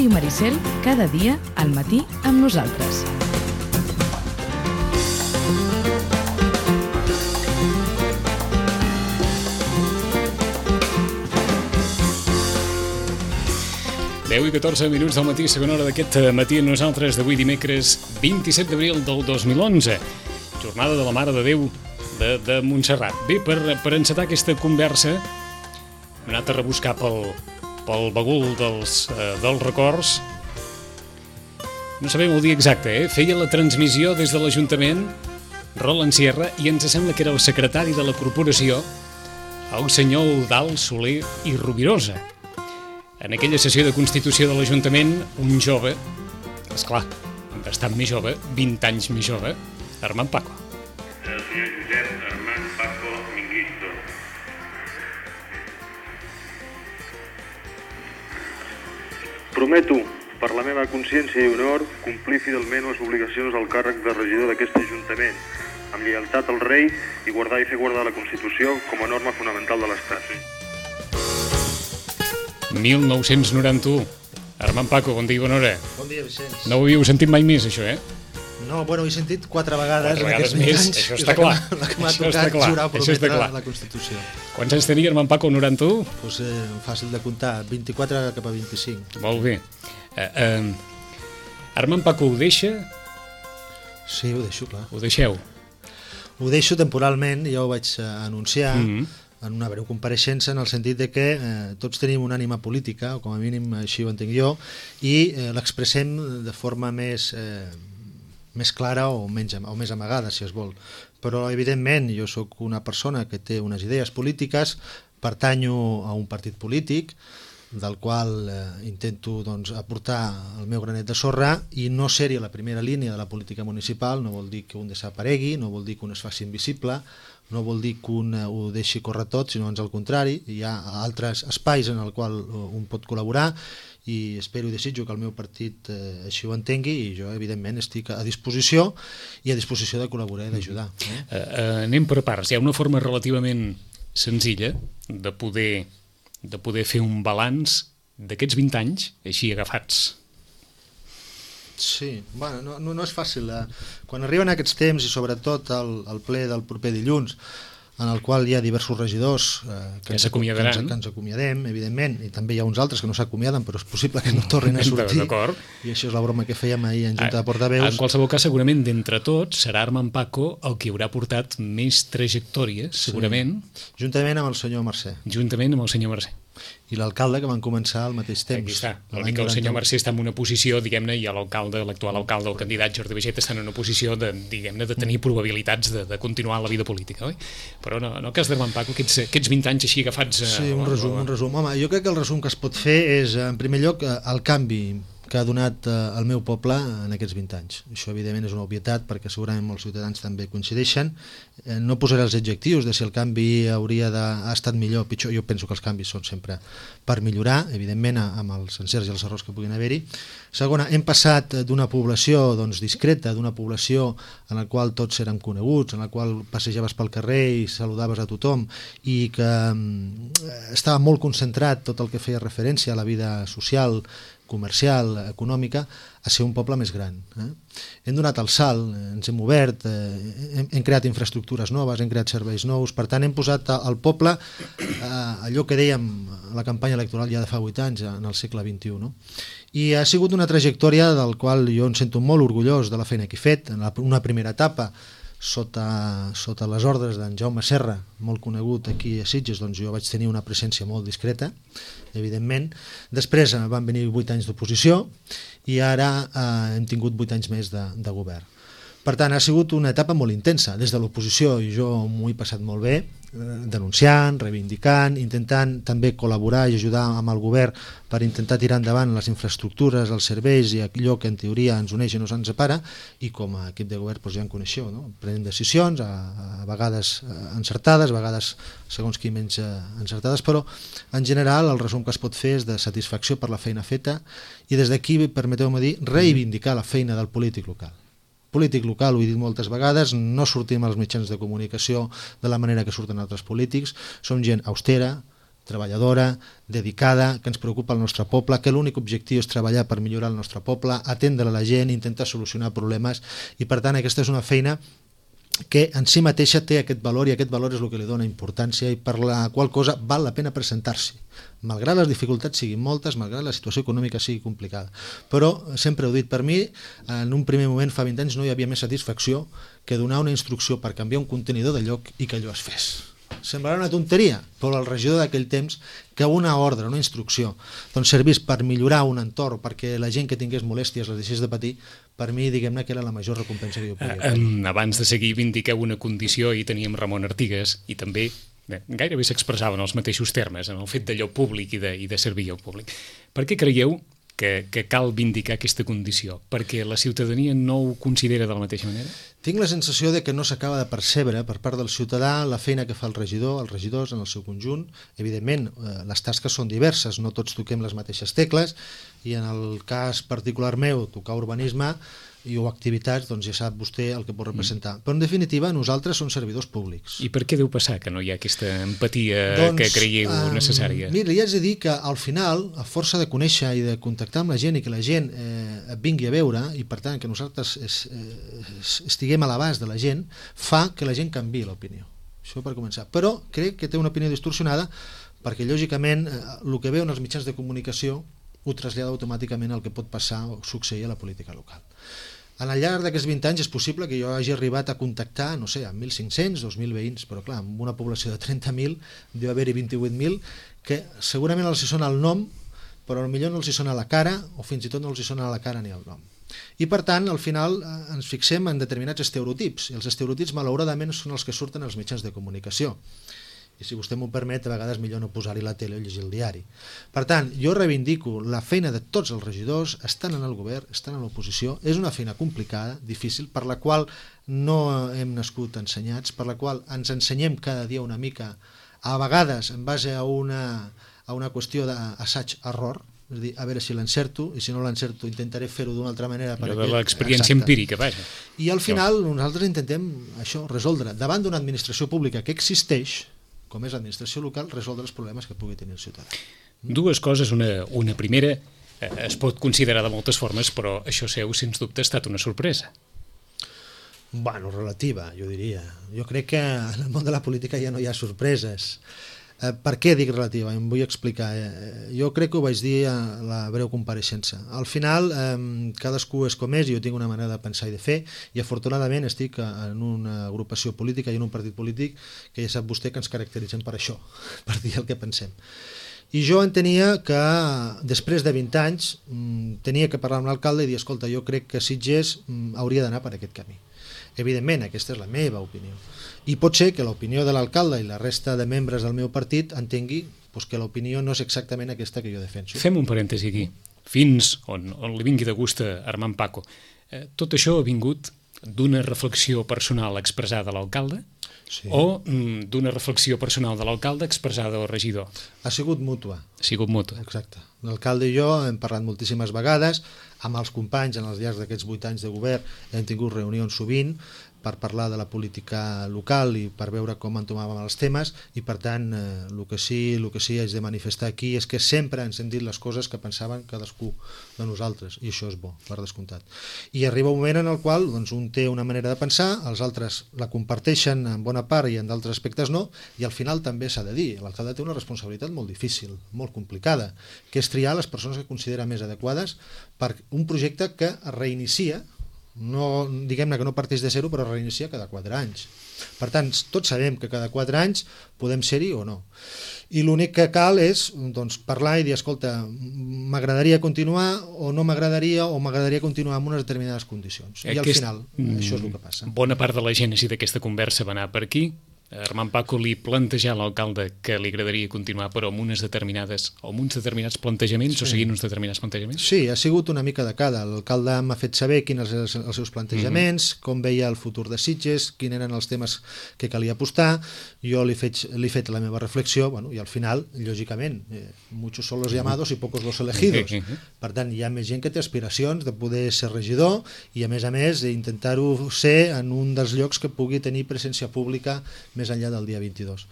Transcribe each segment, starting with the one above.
Ràdio Maricel, cada dia al matí amb nosaltres. Deu i 14 minuts del matí, segona hora d'aquest matí amb nosaltres d'avui dimecres 27 d'abril del 2011. Jornada de la Mare de Déu de Montserrat. Bé, per encetar aquesta conversa hem anat a rebuscar pel bagul dels records. No sabem el dia exacte, Feia la transmissió des de l'Ajuntament Roland Sierra i ens sembla que era el secretari de la corporació, el senyor Eudald Soler i Rovirosa. En aquella sessió de constitució de l'Ajuntament, un jove, esclar, bastant més jove, 20 anys més jove, Armand Paco. El senyor Josep Armand Paco Minguisto. Prometo, per la meva consciència i honor, complir fidelment les obligacions del càrrec de regidor d'aquest Ajuntament, amb lleialtat al rei i guardar i fer guardar la Constitució com a norma fonamental de l'Estat. 1991. Armand Paco, bon dia i bona hora. Bon dia, Vicenç. No ho havíeu sentit mai més, això, No, bueno, ho he sentit 4 vegades en aquests més, anys. això està clar. La que m'ha Això està tocat clar, jurar això està prometre clar. la Constitució. Quants anys tenia Armand Paco, 91? Pues, fàcil de comptar, 24 cap a 25. Molt bé. Armand Paco ho deixa? Sí, ho deixo, clar. Ho deixeu? Ho deixo temporalment, ja ho vaig anunciar en una breu compareixença, en el sentit de que tots tenim una ànima política, o com a mínim així ho entenc jo, i l'expressem de forma més clara o més amagada, si es vol. Però, evidentment, jo sóc una persona que té unes idees polítiques, pertanyo a un partit polític, del qual intento aportar el meu granet de sorra, i no ser-hi a la primera línia de la política municipal no vol dir que un desaparegui, no vol dir que un es faci invisible, no vol dir que un ho deixi córrer tot, sinó ans al contrari. Hi ha altres espais en el qual un pot col·laborar i espero i desitjo que el meu partit així ho entengui, i jo evidentment estic a disposició de col·laborar i d'ajudar. Anem per parts. Hi ha una forma relativament senzilla de poder fer un balanç d'aquests 20 anys així agafats. Sí, bueno, no és fàcil. Quan arriben aquests temps, i sobretot el ple del proper dilluns, en el qual hi ha diversos regidors que ens acomiadem, evidentment, i també hi ha uns altres que no s'acomiaden, però és possible que no tornin a sortir, i això és la broma que fèiem ahir en Junta de Portaveus. En qualsevol cas, segurament, d'entre tots, serà Armand Paco el que haurà portat més trajectòries, segurament. Sí. Juntament amb el senyor Mercè. Juntament amb el senyor Mercè. I l'alcalde, que van començar al mateix temps. Aquí està. Vol dir que el senyor Mercè està en una posició, diguem-ne, i l'actual alcalde, el candidat Jordi Baiget, està en una posició de tenir probabilitats de continuar la vida política, oi? Però no, en el cas d'Armand Paco, aquests 20 anys així agafats... Sí, un resum. Home, jo crec que el resum que es pot fer és, en primer lloc, el canvi que ha donat el meu poble en aquests 20 anys. Això, evidentment, és una obvietat, perquè segurament molts ciutadans també coincideixen. No posaré els adjectius de si el canvi ha estat millor o pitjor. Jo penso que els canvis són sempre per millorar, evidentment, amb els encerts i els errors que puguin haver-hi. Segona, hem passat d'una població discreta, d'una població en la qual tots érem coneguts, en la qual passejaves pel carrer i saludaves a tothom, i que estava molt concentrat tot el que feia referència a la vida social, comercial, econòmica, a ser un poble més gran. Hem donat el salt, ens hem obert, hem creat infraestructures noves, hem creat serveis nous, per tant hem posat al poble allò que dèiem a la campanya electoral ja de fa 8 anys, en el segle XXI. No? I ha sigut una trajectòria del qual jo em sento molt orgullós de la feina que he fet. En una primera etapa, sota les ordres d'en Jaume Serra, molt conegut aquí a Sitges, jo vaig tenir una presència molt discreta, evidentment. Després van venir 8 anys d'oposició i ara hem tingut 8 anys més de govern. Per tant, ha sigut una etapa molt intensa. Des de l'oposició jo m'ho he passat molt bé, denunciant, reivindicant, intentant també col·laborar i ajudar amb el govern per intentar tirar endavant les infraestructures, els serveis i allò que en teoria ens uneix i no ens separa, i com a equip de govern ja en coneixeu, no? Prenem decisions, a vegades encertades, a vegades segons qui menys encertades, però en general el resum que es pot fer és de satisfacció per la feina feta, i des d'aquí, permeteu-me dir, reivindicar la feina del polític local. Polític local, ho he dit moltes vegades, no sortim als mitjans de comunicació de la manera que surten altres polítics, som gent austera, treballadora, dedicada, que ens preocupa el nostre poble, que l'únic objectiu és treballar per millorar el nostre poble, atendre la gent, intentar solucionar problemes, i per tant aquesta és una feina que en si mateixa té aquest valor, i aquest valor és el que li dona importància i per la qual cosa val la pena presentar-s'hi, malgrat les dificultats siguin moltes, malgrat la situació econòmica sigui complicada. Però sempre he dit, per mi, en un primer moment, fa 20 anys, no hi havia més satisfacció que donar una instrucció per canviar un contenidor de lloc i que allò es fes. Semblarà una tonteria, però el regidor d'aquell temps, que una ordre, una instrucció, doncs servís per millorar un entorn, perquè la gent que tingués molèsties les deixés de patir, per mi, diguem-ne, que era la major recompensa que jo podia tenir. Abans de seguir, vindiqueu una condició, i teníem Ramon Artigas, i també gairebé s'expressaven els mateixos termes en el fet d'allò públic i de servir al públic. Per què creieu que cal vindicar aquesta condició? Perquè la ciutadania no ho considera de la mateixa manera? Tinc la sensació de que no s'acaba de percebre per part del ciutadà la feina que fa el regidor, els regidors en el seu conjunt. Evidentment, les tasques són diverses, no tots toquem les mateixes tecles, i en el cas particular meu, tocar urbanisme o activitats, doncs ja sap vostè el que pot representar. Però en definitiva, nosaltres som servidors públics. I per què deu passar que no hi ha aquesta empatia que creieu necessària? Mira, li haig de dir que al final, a força de conèixer i de contactar amb la gent i que la gent et vingui a veure, i per tant que nosaltres estiguem a l'abast de la gent, fa que la gent canviï l'opinió. Això per començar. Però crec que té una opinió distorsionada perquè, lògicament, el que veu en els mitjans de comunicació ho trasllada automàticament al que pot passar o succeir a la política local. Al llarg d'aquests 20 anys és possible que jo hagi arribat a contactar, no sé, amb 1.500, 2.000 veïns, però clar, amb una població de 30.000 deu haver-hi 28.000 que segurament els hi sona el nom, però potser no els hi sona la cara, o fins i tot no els hi sona la cara ni el nom. I per tant, al final ens fixem en determinats estereotips, i els estereotips malauradament són els que surten als mitjans de comunicació. I si vostè m'ho permet, a vegades millor no posar-hi la tele o llegir el diari. Per tant, jo reivindico la feina de tots els regidors, estan en el govern, estan en l'oposició, és una feina complicada, difícil, per la qual no hem nascut ensenyats, per la qual ens ensenyem cada dia una mica, a vegades en base a una qüestió d'assaig-error, és a dir, a veure si l'encerto, i si no l'encerto intentaré fer-ho d'una altra manera. Allò de l'experiència empírica, vaja. I al final nosaltres intentem això, resoldre, davant d'una administració pública que existeix, com és l'administració local, resoldre els problemes que pugui tenir el ciutadà. Dues coses, una primera, es pot considerar de moltes formes, però això seu, sens dubte, ha estat una sorpresa. Bueno, relativa, jo diria. Jo crec que en el món de la política ja no hi ha sorpreses. Per què dic relativa? Em vull explicar. Jo crec que ho vaig dir a la breu compareixença. Al final, cadascú és com és, i jo tinc una manera de pensar i de fer, i afortunadament estic en una agrupació política i en un partit polític que ja sap vostè que ens caracteritzem per això, per dir el que pensem. I jo entenia que després de 20 anys tenia que parlar amb l'alcalde i dir, escolta, jo crec que Sitges hauria d'anar per aquest camí. Evidentment, aquesta és la meva opinió. I pot ser que l'opinió de l'alcalde i la resta de membres del meu partit entengui que l'opinió no és exactament aquesta que jo defenso. Fem un parèntesi aquí. Fins on li vingui de gust a Armand Paco. Tot això ha vingut d'una reflexió personal expressada a l'alcalde? Sí. O d'una reflexió personal de l'alcalde expressada al regidor? Ha sigut mútua. Ha sigut mútua. Exacte. L'alcalde i jo hem parlat moltíssimes vegades, amb els companys en els llargs d'aquests 8 anys de govern hem tingut reunions sovint per parlar de la política local i per veure com entomàvem els temes, i per tant el que sí haig de manifestar aquí és que sempre ens hem dit les coses que pensaven cadascú de nosaltres, i això és bo, per descomptat. I arriba un moment en el qual un té una manera de pensar, els altres la comparteixen en bona part i en d'altres aspectes no, i al final també s'ha de dir, l'alcalde té una responsabilitat molt difícil, molt complicada, que és triar les persones que considera més adequades per un projecte que es reinicia, no, diguem-ne que no parteix de zero, però reinicia cada 4 anys. Per tant, tots sabem que cada 4 anys podem ser-hi o no. I l'únic que cal és parlar i dir, escolta, m'agradaria continuar o no m'agradaria, o m'agradaria continuar amb unes determinades condicions. I al final, això és el que passa. Bona part de la gènesi d'aquesta conversa va anar per aquí. Armand Paco li plantejà a l'alcalde que li agradaria continuar, però amb uns determinats plantejaments, o seguint uns determinats plantejaments? Sí, ha sigut una mica de cada. L'alcalde m'ha fet saber quins eren els seus plantejaments, com veia el futur de Sitges, quins eren els temes que calia apostar. Jo li he fet la meva reflexió, i al final, lògicament, muchos son los llamados y pocos los elegidos. Per tant, hi ha més gent que té aspiracions de poder ser regidor i, a més, intentar-ho ser en un dels llocs que pugui tenir presència pública més enllà del dia 22.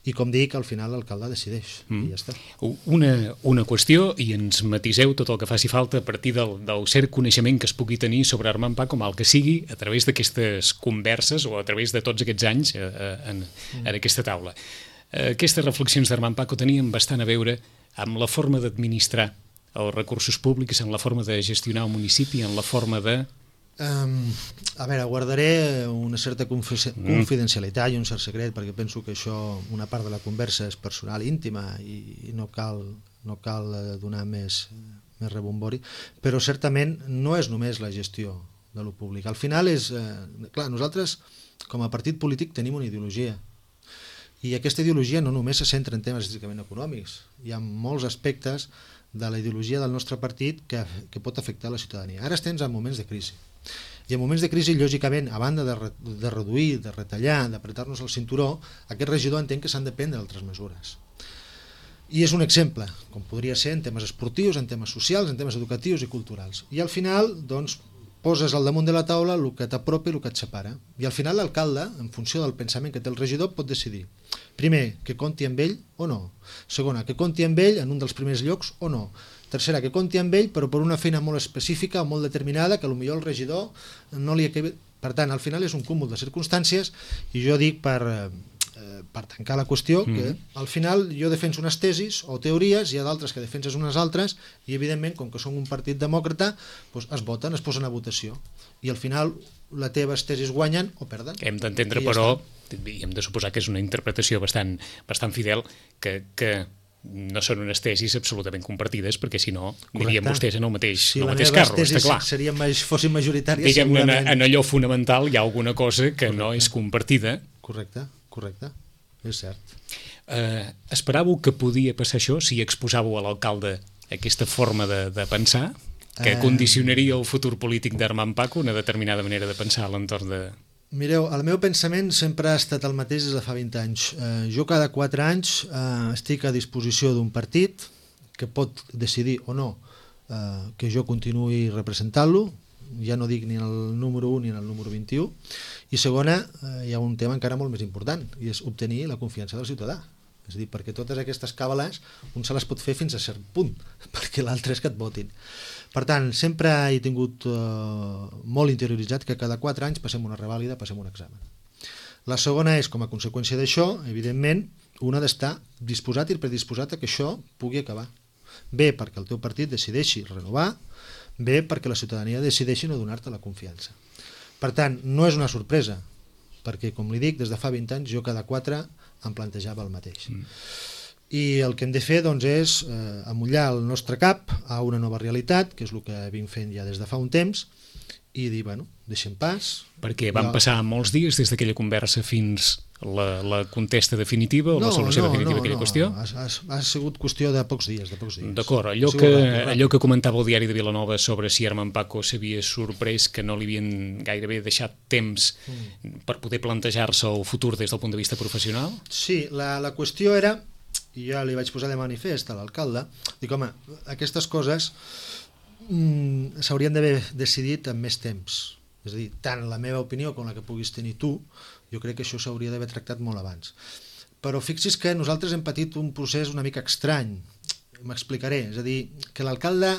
I com dic, al final l'alcalde decideix, i ja està. Una qüestió, i ens matiseu tot el que faci falta a partir del cert coneixement que es pugui tenir sobre Armand Paco, mal que sigui, a través d'aquestes converses o a través de tots aquests anys en aquesta taula. Aquestes reflexions d'Armand Paco tenien bastant a veure amb la forma d'administrar els recursos públics, en la forma de gestionar un municipi, en la forma de... A veure, guardaré una certa confidencialitat i un cert secret, perquè penso que això, una part de la conversa és personal, íntima, i no cal donar més rebombori, però certament no és només la gestió de lo públic. Al final és... Clar, nosaltres, com a partit polític, tenim una ideologia, i aquesta ideologia no només se centra en temes estrictament econòmics. Hi ha molts aspectes de la ideologia del nostre partit que pot afectar la ciutadania. Ara estem en moments de crisi. I en moments de crisi, lògicament, a banda de reduir, de retallar, d'apretar-nos el cinturó, aquest regidor entén que s'han de prendre altres mesures. I és un exemple, com podria ser en temes esportius, en temes socials, en temes educatius i culturals. I al final, doncs, poses al damunt de la taula el que t'apropa i el que et separa. I al final l'alcalde, en funció del pensament que té el regidor, pot decidir. Primer, que compti amb ell o no. Segona, que compti amb ell en un dels primers llocs o no. Tercera, que compti amb ell però per una feina molt específica o molt determinada que potser el regidor no li acabi... Per tant, al final és un cúmul de circumstàncies, i jo dic per tancar la qüestió que al final jo defenso unes tesis o teories, hi ha d'altres que defenses unes altres, i evidentment, com que som un partit demòcrata, doncs es voten, es posen a votació, i al final les teves tesis guanyen o perden. Hem d'entendre, però, i hem de suposar que és una interpretació bastant fidel, que no són unes tesis absolutament compartides, perquè si no anirien vostès en el mateix carro, està clar. Si les tesis fossin majoritàries, segurament... Diguem-ne, en allò fonamental hi ha alguna cosa que no és compartida. Correcte, és cert. Esperàveu que podia passar això si exposàveu a l'alcalde aquesta forma de pensar, que condicionaria el futur polític d'Armand Paco, una determinada manera de pensar a l'entorn de... Mireu, el meu pensament sempre ha estat el mateix des de fa 20 anys. Jo cada 4 anys estic a disposició d'un partit que pot decidir o no que jo continuï representant-lo, ja no dic ni el número 1 ni el número 21, i segona, hi ha un tema encara molt més important, i és obtenir la confiança del ciutadà. És a dir, perquè totes aquestes càbales un se les pot fer fins a cert punt, perquè l'altre és que et votin. Per tant, sempre he tingut molt interioritzat que cada 4 anys passem una revàlida, passem un examen. La segona és, com a conseqüència d'això, evidentment, un ha d'estar disposat i predisposat a que això pugui acabar. Bé perquè el teu partit decideixi renovar, bé perquè la ciutadania decideixi no donar-te la confiança. Per tant, no és una sorpresa, perquè, com li dic, des de fa 20 anys jo cada 4 em plantejava el mateix. I el que hem de fer doncs, és amollar el nostre cap a una nova realitat, que és el que vinc fent ja des de fa un temps, i dir, bueno, deixem pas... Perquè van passar molts dies des d'aquella conversa fins la contesta definitiva o la solució definitiva d'aquella qüestió? Ha sigut qüestió de pocs dies. D'acord, allò que comentava el diari de Vilanova sobre si Armand Paco s'havia sorprès que no li havien gairebé deixat temps per poder plantejar-se el futur des del punt de vista professional? Sí, la qüestió era, i ja li vaig posar de manifest a l'alcalde, dic, home, aquestes coses s'haurien d'haver decidit amb més temps. És a dir, tant la meva opinió com la que puguis tenir tu, jo crec que això s'hauria d'haver tractat molt abans. Però fixi's que nosaltres hem patit un procés una mica estrany. M'explicaré. És a dir, que l'alcalde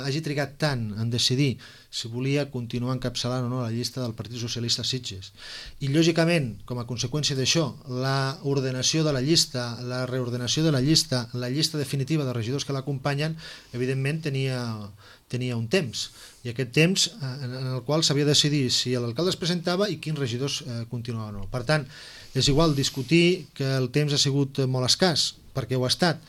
hagi trigat tant en decidir si volia continuar encapçalant o no la llista del Partit Socialista a Sitges. I, lògicament, com a conseqüència d'això, la ordenació de la llista, la reordenació de la llista definitiva de regidors que l'acompanyen, evidentment tenia un temps. I aquest temps en el qual s'havia de decidir si l'alcalde es presentava i quins regidors continuaven o no. Per tant, és igual discutir que el temps ha sigut molt escàs, perquè ho ha estat,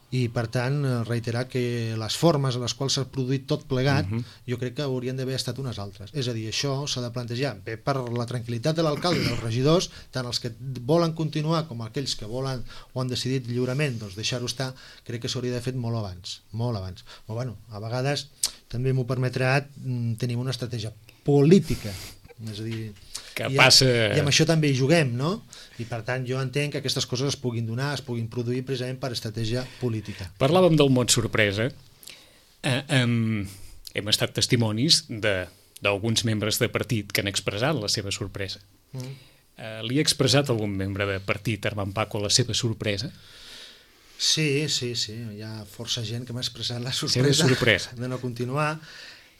i per tant reiterar que les formes a les quals s'ha produït tot plegat jo crec que haurien d'haver estat unes altres. És a dir, això s'ha de plantejar bé per la tranquil·litat de l'alcalde i dels regidors, tant els que volen continuar com aquells que volen o han decidit lliurement doncs deixar-ho estar, crec que s'hauria d'haver fet molt abans. Però bueno, a vegades també m'ho permetrà, tenim una estratègia política, és a dir, i amb això també hi juguem, no? I per tant jo entenc que aquestes coses es puguin donar, es puguin produir precisament per estratègia política. Parlàvem del mot sorpresa. Hem estat testimonis d'alguns membres de partit que han expressat la seva sorpresa. Li ha expressat algun membre de partit Armand Paco la seva sorpresa? Sí, hi ha força gent que m'ha expressat la sorpresa de no continuar.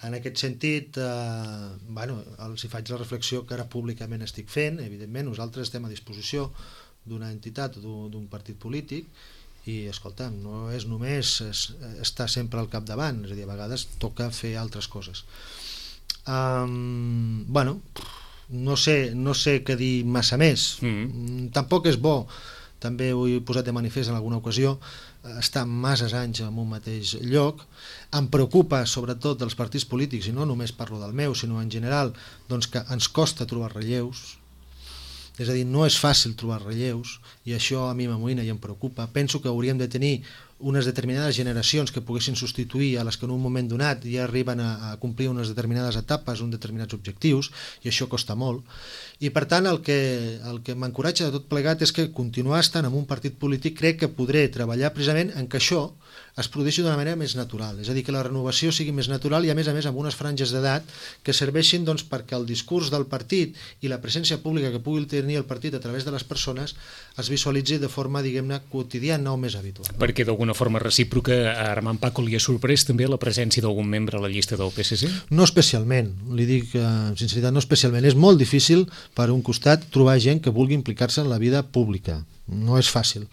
En aquest sentit, els hi faig la reflexió que ara públicament estic fent. Evidentment, nosaltres estem a disposició d'una entitat o d'un partit polític i, escolta'm, no és només estar sempre al capdavant, és a dir, a vegades toca fer altres coses. No sé què dir massa més. Tampoc és bo, també ho he posat de manifest en alguna ocasió, estar masses anys en un mateix lloc. Em preocupa sobretot dels partits polítics, i no només parlo del meu, sinó en general, doncs que ens costa trobar relleus. És a dir, no és fàcil trobar relleus, i això a mi m'amoïna i em preocupa. Penso que hauríem de tenir unes determinades generacions que poguessin substituir a les que en un moment donat ja arriben a complir unes determinades etapes, uns determinats objectius, i això costa molt. I per tant el que m'encoratja de tot plegat és que continuar estant en un partit polític crec que podré treballar precisament en que això es produeixi d'una manera més natural, és a dir, que la renovació sigui més natural i a més amb unes franges d'edat que serveixin doncs, perquè el discurs del partit i la presència pública que pugui tenir el partit a través de les persones es visualitzi de forma, diguem-ne, quotidiana o més habitual. Perquè d'alguna forma recíproca a Armand Paco li ha sorprès també la presència d'algun membre a la llista del PSC? No especialment, li dic amb sinceritat, no especialment. És molt difícil, per un costat, trobar gent que vulgui implicar-se en la vida pública. No és fàcil.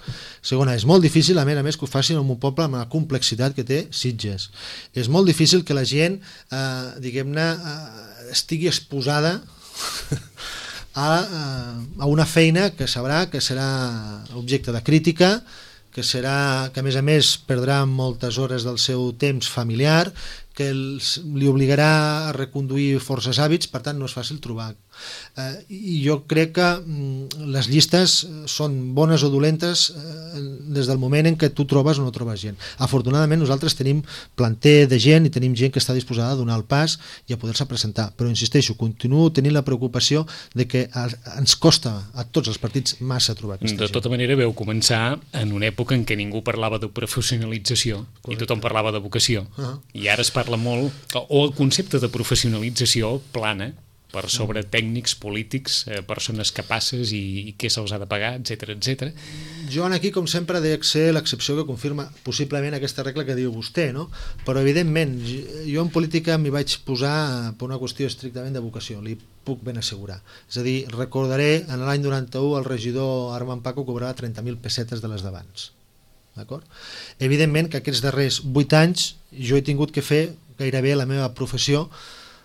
Segona, és molt difícil, a més que ho facin en un poble amb la complexitat que té Sitges. És molt difícil que la gent, diguem-ne, estigui exposada a una feina que sabrà que serà objecte de crítica, que a més perdrà moltes hores del seu temps familiar, que li obligarà a reconduir forces hàbits, per tant no és fàcil trobar. I jo crec que les llistes són bones o dolentes des del moment en què tu trobes o no trobes gent. Afortunadament nosaltres tenim planter de gent i tenim gent que està disposada a donar el pas i a poder-se presentar, però insisteixo, continuo tenint la preocupació de que ens costa a tots els partits massa trobar aquesta gent. De tota manera veu començar en una època en què ningú parlava de professionalització. Correcte. I tothom parlava de vocació. I ara es parla molt, o el concepte de professionalització plana per sobre tècnics, polítics, persones capaces i què se'ls ha de pagar, etc. Jo aquí, com sempre, dec ser l'excepció que confirma possiblement aquesta regla que diu vostè, no? Però evidentment, jo en política m'hi vaig posar per una qüestió estrictament de vocació, li puc ben assegurar. És a dir, recordaré, en l'any 91 el regidor Armand Paco cobrava 30.000 pessetes de les d'abans. D'acord? Evidentment que aquests darrers 8 anys jo he tingut que fer gairebé la meva professió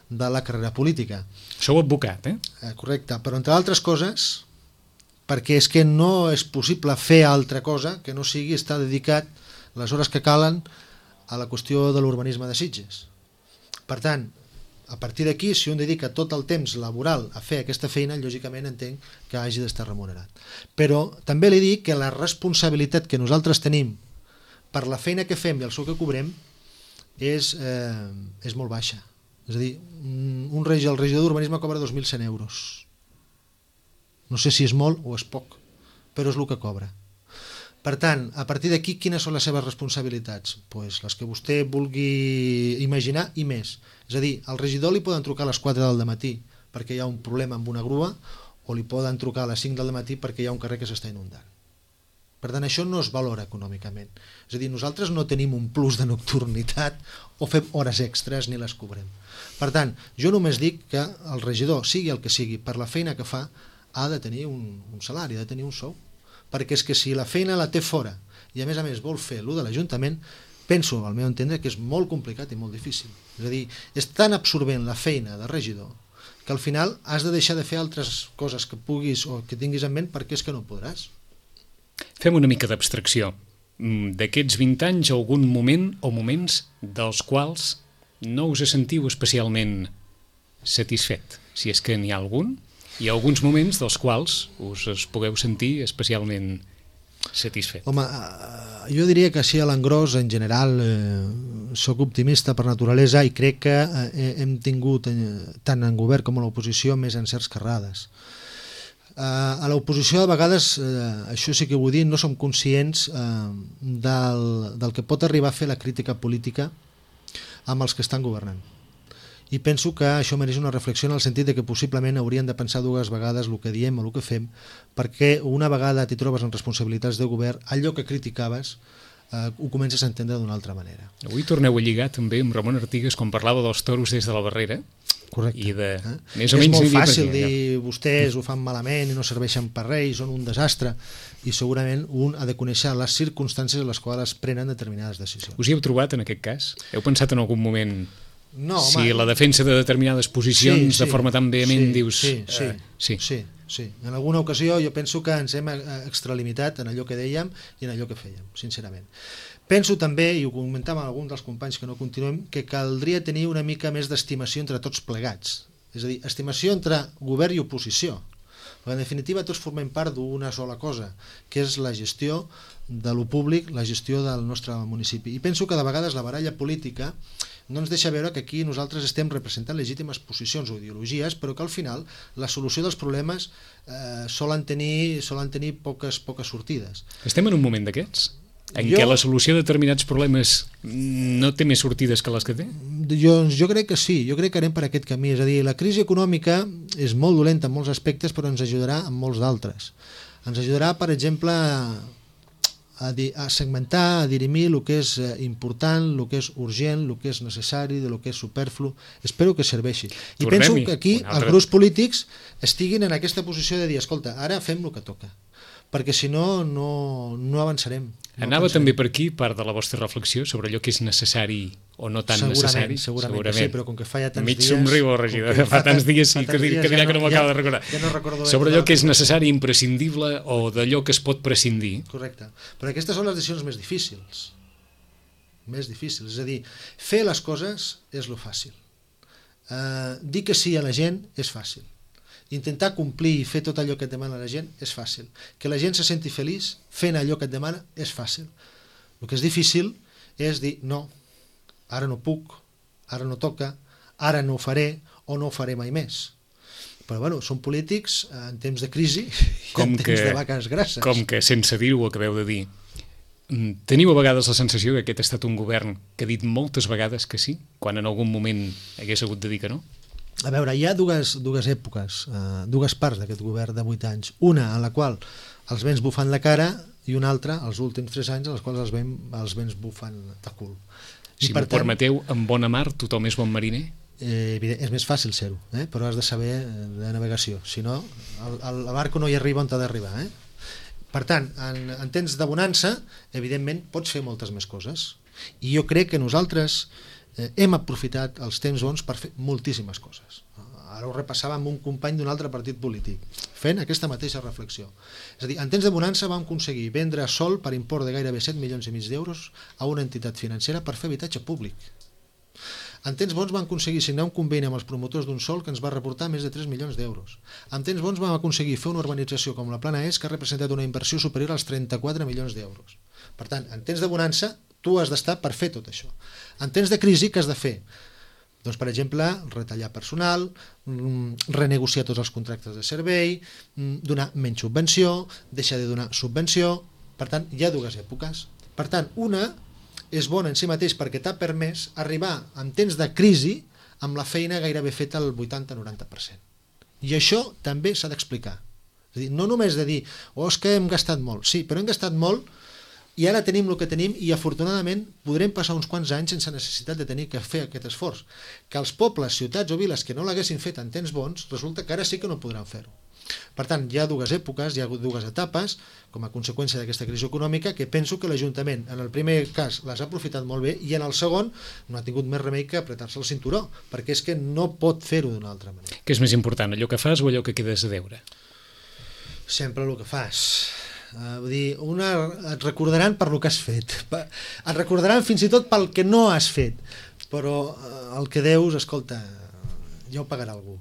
de la carrera política. Sou advocat, Correcte, però entre altres coses, perquè és que no és possible fer altra cosa que no sigui estar dedicat les hores que calen a la qüestió de l'urbanisme de Sitges. Per tant, a partir d'aquí, si un dedica tot el temps laboral a fer aquesta feina, lògicament entenc que hagi d'estar remunerat. Però també li dic que la responsabilitat que nosaltres tenim per la feina que fem i el sou que cobrem és molt baixa. És a dir, el regidor d'urbanisme cobra 2.100 euros. No sé si és molt o és poc, però és el que cobra. Per tant, a partir d'aquí, quines són les seves responsabilitats? Pues les que vostè vulgui imaginar i més. És a dir, al regidor li poden trucar a les 4 del matí perquè hi ha un problema amb una grua, o li poden trucar a les 5 del matí perquè hi ha un carrer que s'està inundant. Per tant, això no es valora econòmicament. És a dir, nosaltres no tenim un plus de nocturnitat o fem hores extres ni les cobrem. Per tant, jo només dic que el regidor, sigui el que sigui, per la feina que fa, ha de tenir un salari, ha de tenir un sou. Perquè és que si la feina la té fora i a més vol fer allò de l'Ajuntament, penso, al meu entendre, que és molt complicat i molt difícil. És a dir, és tan absorbent la feina de regidor que al final has de deixar de fer altres coses que puguis o que tinguis en ment perquè és que no podràs. Fem una mica d'abstracció. D'aquests 20 anys, algun moment o moments dels quals no us sentiu especialment satisfet, si és que n'hi ha algun, i alguns moments dels quals us pugueu sentir especialment satisfet. Home, jo diria que així a l'engròs, en general, sóc optimista per naturalesa i crec que hem tingut, tant en govern com a l'oposició, més encerts que errades. A l'oposició, de vegades, això sí que vull dir, no som conscients del que pot arribar a fer la crítica política amb els que estan governant. I penso que això mereix una reflexió en el sentit de que possiblement haurien de pensar dues vegades el que diem o el que fem, perquè una vegada t'hi trobes en responsabilitats de govern, allò que criticaves ho comences a entendre d'una altra manera. Avui torneu a lligar també amb Ramon Artigas quan parlava dels toros des de la barrera. Correcte. I de més o és menys molt fàcil perquè, dir vostès ho fan malament i no serveixen per res i són un desastre, i segurament un ha de conèixer les circumstàncies en les quals es prenen determinades decisions. Us hi heu trobat en aquest cas? Heu pensat en algun moment No, si home, la defensa de determinades posicions de forma tan vehement dius... Sí. En alguna ocasió jo penso que ens hem extralimitat en allò que dèiem i en allò que fèiem, sincerament. Penso també, i ho comentàvem amb alguns dels companys que no continuem, que caldria tenir una mica més d'estimació entre tots plegats. És a dir, estimació entre govern i oposició. Perquè en definitiva tots formem part d'una sola cosa, que és la gestió de lo públic, la gestió del nostre municipi. I penso que de vegades la baralla política no ens deixa veure que aquí nosaltres estem representant legítimes posicions o ideologies, però que al final la solució dels problemes solen tenir poques sortides. Estem en un moment d'aquests? En què la solució de determinats problemes no té més sortides que les que té? Jo crec que sí, jo crec que anem per aquest camí. És a dir, la crisi econòmica és molt dolenta en molts aspectes, però ens ajudarà en molts d'altres. Ens ajudarà, per exemple, a segmentar, a dirimir el que és important, el que és urgent, el que és necessari, el que és superflu. Espero que serveixi. I penso que aquí els grups polítics estiguin en aquesta posició de dir, escolta, ara fem el que toca, perquè si no, no avançarem. Anava també per aquí part de la vostra reflexió sobre allò que és necessari o no tan necessari. Segurament que sí, però com que fa ja tants dies... Mig somriu el regidor, fa tants dies que dirà que no m'acaba de recordar. Ja no recordo sobre allò que és necessari, imprescindible o d'allò que es pot prescindir. Correcte. Però aquestes són les decisions més difícils. És a dir, fer les coses és lo fàcil. Dir que sí a la gent és fàcil. Intentar complir i fer tot allò que et demana la gent és fàcil. Que la gent se senti feliç fent allò que et demana és fàcil. El que és difícil és dir no, ara no puc, ara no toca, ara no ho faré o no ho faré mai més. Però bueno, són polítics en temps de crisi i en temps de vaques grasses. Com que sense dir-ho ho acabeu de dir, teniu a vegades la sensació que aquest ha estat un govern que ha dit moltes vegades que sí, quan en algun moment hagués hagut de dir que no? A veure, hi ha dues èpoques, dues parts d'aquest govern de 8 anys. Una en la qual els vents bufen la cara i una altra, els últims 3 anys, en els quals els vents bufen de cul. Si m'ho permeteu, en bona mar tothom és bon mariner? És més fàcil ser-ho, però has de saber de navegació. Si no, el barco no hi arriba on ha d'arribar. Per tant, en temps de bonança, evidentment, pots fer moltes més coses. I jo crec que nosaltres hem aprofitat els temps bons per fer moltíssimes coses. Ara ho repassava amb un company d'un altre partit polític, fent aquesta mateixa reflexió. És a dir, en temps de bonança vam aconseguir vendre sol per import de gairebé 7,5 milions d'euros a una entitat financera per fer habitatge públic. En temps bons vam aconseguir signar un conveni amb els promotors d'un sol que ens va reportar més de 3 milions d'euros. En temps bons vam aconseguir fer una urbanització com la Plana Est que ha representat una inversió superior als 34 milions d'euros. Per tant, en temps de bonança, tu has d'estar per fer tot això. En temps de crisi, què has de fer? Doncs, per exemple, retallar personal, renegociar tots els contractes de servei, donar menys subvenció, deixar de donar subvenció. Per tant, hi ha dues èpoques. Per tant, una és bona en si mateix perquè t'ha permès arribar en temps de crisi amb la feina gairebé feta al 80-90%. I això també s'ha d'explicar. És a dir, no només de dir, és que hem gastat molt. Sí, però hem gastat molt i ara tenim el que tenim i afortunadament podrem passar uns quants anys sense necessitat de tenir que fer aquest esforç. Que els pobles, ciutats o viles que no l'haguessin fet en temps bons, resulta que ara sí que no podran fer-ho. Per tant, hi ha dues èpoques, hi ha dues etapes, com a conseqüència d'aquesta crisi econòmica, que penso que l'Ajuntament, en el primer cas, les ha aprofitat molt bé, i en el segon no ha tingut més remei que apretar-se el cinturó, perquè és que no pot fer-ho d'una altra manera. Què és més important, allò que fas o allò que quedes a deure? Sempre el que fas. Vull dir, et recordaran per el que has fet, et recordaran fins i tot pel que no has fet, però el que deus, escolta, ja ho pagarà algú.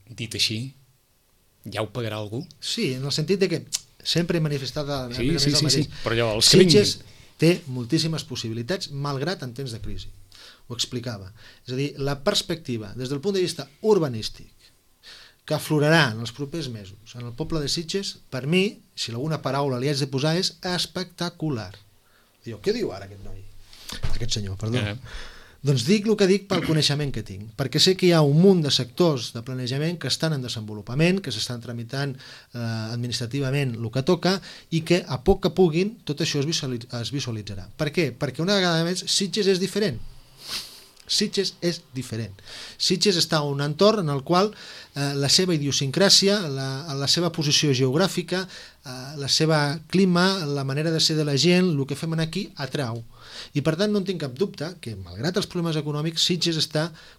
Dit així, ja ho pagarà algú? Sí, en el sentit de que sempre he manifestat el mateix. Sí, però allò, els Sitges té moltíssimes possibilitats, malgrat en temps de crisi. Ho explicava. És a dir, la perspectiva, des del punt de vista urbanístic, que aflorarà en els propers mesos en el poble de Sitges, per mi, si alguna paraula li haig de posar, és espectacular. Diu, què diu ara aquest noi? Aquest senyor, perdó. Doncs dic el que dic pel coneixement que tinc, perquè sé que hi ha un munt de sectors de planejament que estan en desenvolupament, que s'estan tramitant administrativament el que toca i que a poc que puguin tot això es visualitzarà. Per què? Perquè una vegada més Sitges és diferent. Sitges és diferent. Sitges està en un entorn en el qual la seva idiosincràsia, la seva posició geogràfica, la seva clima, la manera de ser de la gent, el que fem aquí atrau. I per tant no en tinc cap dubte que, malgrat els problemes econòmics, Sitges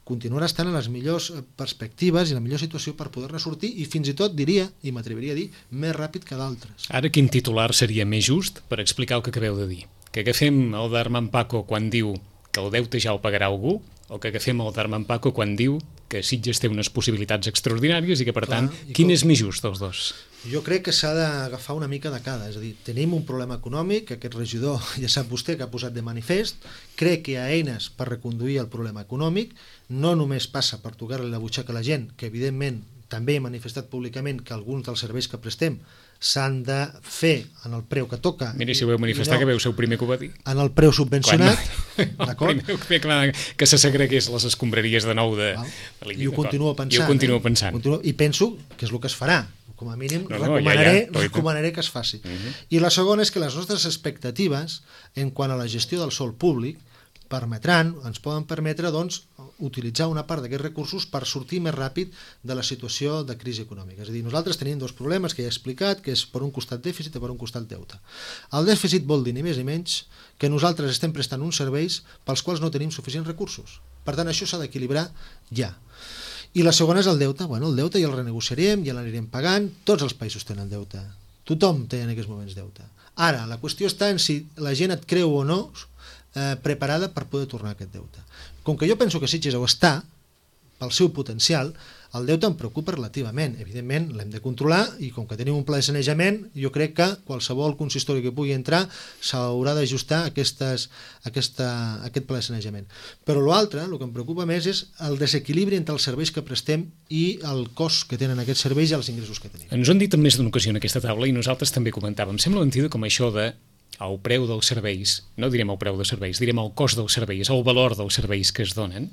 continuarà estant en les millors perspectives i la millor situació per poder-ne sortir i fins i tot diria, i m'atreviria a dir, més ràpid que d'altres. Ara quin titular seria més just per explicar el que acabeu de dir? Que agafem el d'Armand Paco quan diu que el deute ja el pagarà algú, o que agafem el d'Armand Paco quan diu que Sitges té unes possibilitats extraordinàries i que, per tant, quin és més just dels dos? Jo crec que s'ha d'agafar una mica de cada, és a dir, tenim un problema econòmic, que aquest regidor ja sap vostè que ha posat de manifest, crec que hi ha eines per reconduir el problema econòmic, no només passa per tocar-li la butxaca a la gent, que evidentment també he manifestat públicament que alguns dels serveis que prestem s'han de fer en el preu que toca. Mira, si ho veu manifestar, que veu ser el primer que ho va dir. En el preu subvencionat, d'acord? Que se segregués les escombraries de nou de I ho continuo pensant. I ho continuo pensant. I penso que és el que es farà. Com a mínim recomanaré que es faci. I la segona és que les nostres expectatives en quant a la gestió del sòl públic ens poden permetre doncs, utilitzar una part d'aquests recursos per sortir més ràpid de la situació de crisi econòmica. És a dir, nosaltres tenim dos problemes que ja he explicat, que és per un costat dèficit i per un costat deute. El dèficit vol dir ni més ni menys que nosaltres estem prestant uns serveis pels quals no tenim suficients recursos. Per tant, això s'ha d'equilibrar ja. I la segona és el deute. Bueno, el deute ja el renegociarem, ja l'anirem pagant, tots els països tenen deute. Tothom té en aquests moments deute. Ara, la qüestió està en si la gent et creu o no preparada per poder tornar aquest deute. Com que jo penso que Sitges ho està, pel seu potencial, el deute em preocupa relativament. Evidentment, l'hem de controlar i com que tenim un pla de sanejament, jo crec que qualsevol consistori que pugui entrar s'haurà d'ajustar aquest pla de sanejament. Però l'altre, el que em preocupa més, és el desequilibri entre els serveis que prestem i el cost que tenen aquests serveis i els ingressos que tenim. Ens ho han dit en més d'una ocasió en aquesta taula i nosaltres també comentàvem. Sembla mentida com això de el preu dels serveis, no direm el preu dels serveis, direm el cost dels serveis, el valor dels serveis que es donen,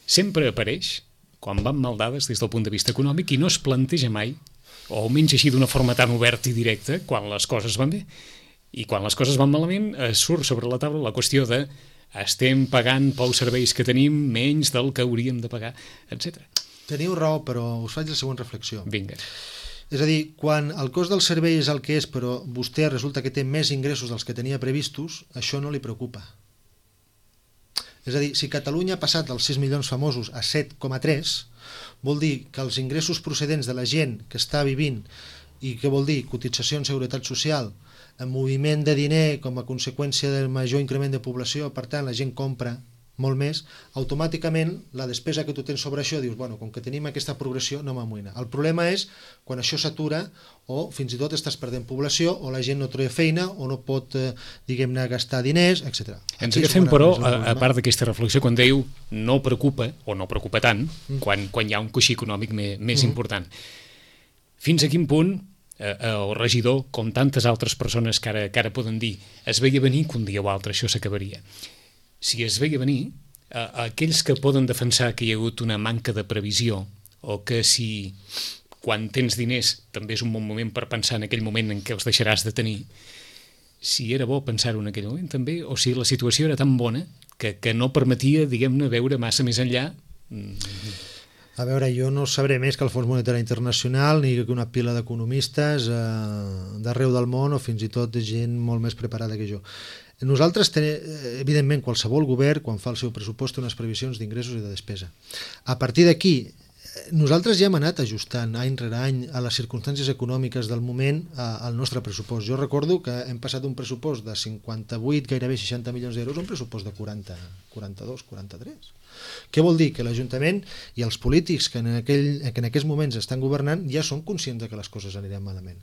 sempre apareix quan van mal dades des del punt de vista econòmic i no es planteja mai, o almenys així d'una forma tan oberta i directa, quan les coses van bé. I quan les coses van malament surt sobre la taula la qüestió de estem pagant pels serveis que tenim menys del que hauríem de pagar, etc. Teniu raó, però us faig la següent reflexió. Vinga. És a dir, quan el cost del servei és el que és, però vostè resulta que té més ingressos dels que tenia previstos, això no li preocupa. És a dir, si Catalunya ha passat dels 6 milions famosos a 7,3, vol dir que els ingressos procedents de la gent que està vivint, i què vol dir? Cotitzacions, seguretat social, moviment de diner com a conseqüència del major increment de població, per tant la gent compra molt més, automàticament la despesa que tu tens sobre això dius, bueno, com que tenim aquesta progressió no m'amoïna. El problema és quan això s'atura o fins i tot estàs perdent població o la gent no troba feina o no pot, diguem-ne, gastar diners, etc. Ens agafem, però, a part d'aquesta reflexió, quan diu no preocupa o no preocupa tant, quan hi ha un coixí econòmic més important. Fins a quin punt el regidor, com tantes altres persones que ara poden dir, es veia venir que un dia o altre això s'acabaria. Si es veia venir, aquells que poden defensar que hi ha hagut una manca de previsió o que si quan tens diners també és un bon moment per pensar en aquell moment en què els deixaràs de tenir, si era bo pensar-ho en aquell moment també, o si la situació era tan bona que no permetia, diguem-ne, veure massa més enllà. A veure, jo no sabré més que el Fons Monetari Internacional ni que una pila d'economistes d'arreu del món o fins i tot de gent molt més preparada que jo. Nosaltres, evidentment, qualsevol govern, quan fa el seu pressupost, té unes previsions d'ingressos i de despesa. A partir d'aquí, nosaltres ja hem anat ajustant any rere any a les circumstàncies econòmiques del moment al nostre pressupost. Jo recordo que hem passat d'un pressupost de 58, gairebé 60 milions d'euros a un pressupost de 40, 42, 43. Què vol dir? Que l'Ajuntament i els polítics que en aquests moments estan governant ja són conscients de que les coses aniran malament.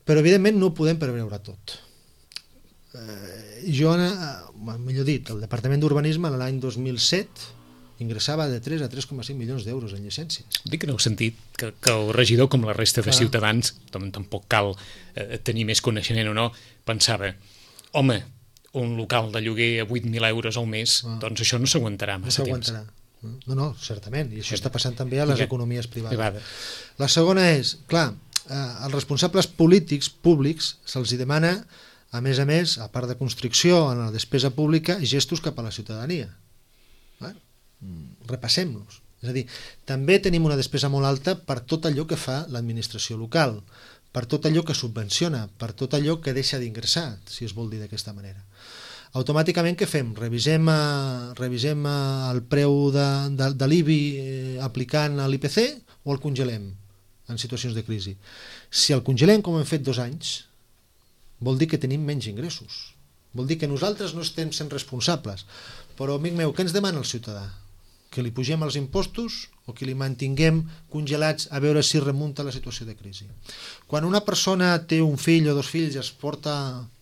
Però, evidentment, no ho podem preveure tot. Jo, millor dit, el Departament d'Urbanisme l'any 2007 ingressava de 3 a 3,5 milions d'euros en llicències. Dic en el sentit que el regidor, com la resta de ciutadans, tampoc cal tenir més coneixement o no, pensava, home, un local de lloguer a 8.000 euros al mes, doncs això no s'aguantarà massa temps. No, certament, i això està passant també a les economies privades. La segona és, clar, als responsables polítics públics se'ls demana, a més, a part de constricció en la despesa pública, gestos cap a la ciutadania. Repassem-los. És a dir, també tenim una despesa molt alta per tot allò que fa l'administració local, per tot allò que subvenciona, per tot allò que deixa d'ingressar, si es vol dir d'aquesta manera. Automàticament què fem? Revisem el preu de l'IBI aplicant a l'IPC o el congelem en situacions de crisi? Si el congelem, com hem fet 2 anys, vol dir que tenim menys ingressos. Vol dir que nosaltres no estem sent responsables. Però, amic meu, què ens demana el ciutadà? Que li pugem els impostos o que li mantinguem congelats a veure si remunta la situació de crisi? Quan una persona té un fill o 2 fills i es porta